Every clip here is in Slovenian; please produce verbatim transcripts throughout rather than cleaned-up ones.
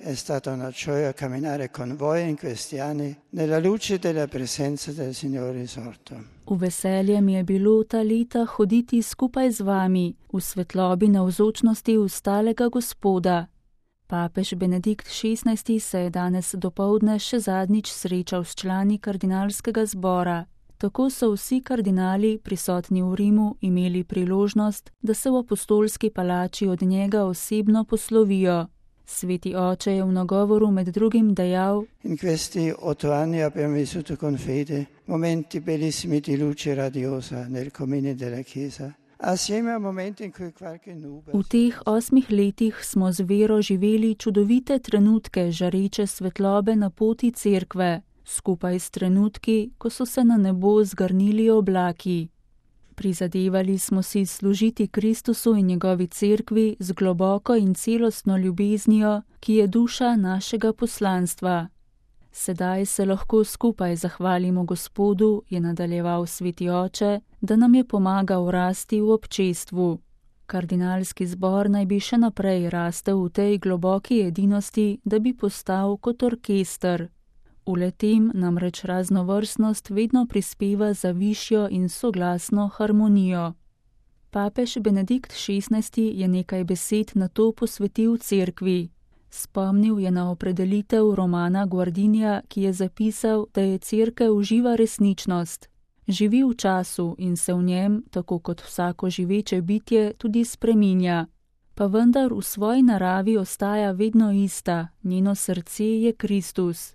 È stata una gioia camminare con voi in questi anni nella luce della presenza del Signore risorto. V veselje mi je bilo ta leta hoditi skupaj z vami v svetlobi navzočnosti ustalega Gospoda. Papež Benedikt šestnajsti se je danes dopoldne še zadnjič srečal s člani kardinalskega zbora. Tako so vsi kardinali prisotni v Rimu imeli priložnost, da se v apostolski palači od njega osebno poslovijo. Sveti oče je v nagovoru med drugim dejal: In questi otto anni abbiamo vissuto con fede momenti bellissimi di luce radiosa nel comune della Chiesa. Assieme a momenti in cui qualche nube. V teh osmih letih smo z vero živeli čudovite trenutke žareče svetlobe na poti cerkve, skupaj s trenutki, ko so se na nebo zgrnili oblaki. Prizadevali smo si služiti Kristusu in njegovi cerkvi z globoko in celostno ljubeznijo, ki je duša našega poslanstva. Sedaj se lahko skupaj zahvalimo Gospodu, je nadaljeval sveti oče, da nam je pomagal rasti v občestvu. Kardinalski zbor naj bi še naprej rastel v tej globoki edinosti, da bi postal kot orkester. V letem namreč raznovrstnost vedno prispeva za višjo in soglasno harmonijo. Papež Benedikt šestnajsti je nekaj besed na to posvetil cerkvi. Spomnil je na opredelitev Romana Guardinija, ki je zapisal, da je cerkev živa resničnost. Živi v času in se v njem, tako kot vsako živeče bitje, tudi spreminja. Pa vendar v svoji naravi ostaja vedno ista, njeno srce je Kristus.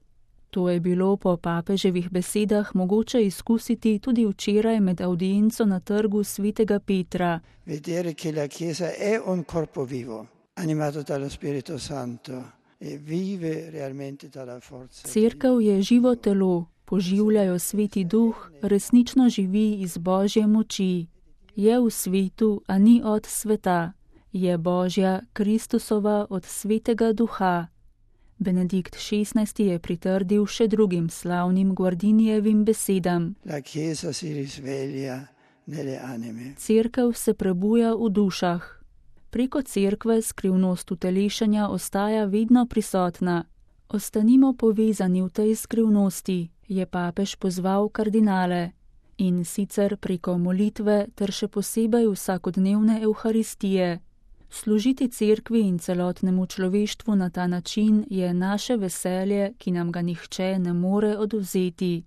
To je bilo po papeževih besedah mogoče izkusiti tudi včeraj med audienco na trgu svetega Petra. Vedere che la Chiesa è un corpo vivo, animato dallo Spirito Santo e vive realmente dalla forza. Cerkev je živo telo, poživljajo sveti duh, resnično živi iz Božje moči. Je v svetu, a ni od sveta. Je Božja, Kristusova od svetega duha. Benedikt šestnajsti je pritrdil še drugim slavnim Guardinijevim besedam. La Chiesa si risveglia nelle anime. Cerkev se prebuja v dušah. Preko cerkve skrivnost utelešanja ostaja vedno prisotna. Ostanimo povezani v tej skrivnosti, je papež pozval kardinale. In sicer preko molitve ter še posebej vsakodnevne evharistije. Služiti cerkvi in celotnemu človeštvu na ta način je naše veselje, ki nam ga nihče ne more odvzeti.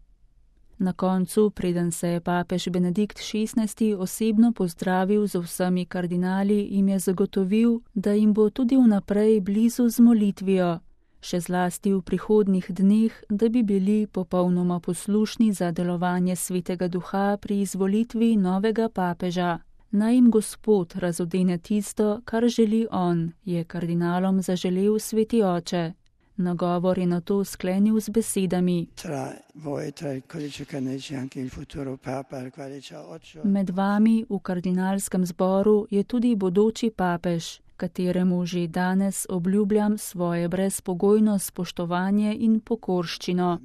Na koncu, preden se je papež Benedikt šestnajsti osebno pozdravil z vsemi kardinali, jim je zagotovil, da jim bo tudi vnaprej blizu z molitvijo, še zlasti v prihodnjih dneh, da bi bili popolnoma poslušni za delovanje svetega duha pri izvolitvi novega papeža. Naj jim Gospod razodene tisto, kar želi on, je kardinalom zaželel sveti oče. Nagovor je nato sklenil z besedami: Med vami v kardinalskem zboru je tudi bodoči papež, kateremu že danes obljubljam svoje brezpogojno spoštovanje in pokorščino.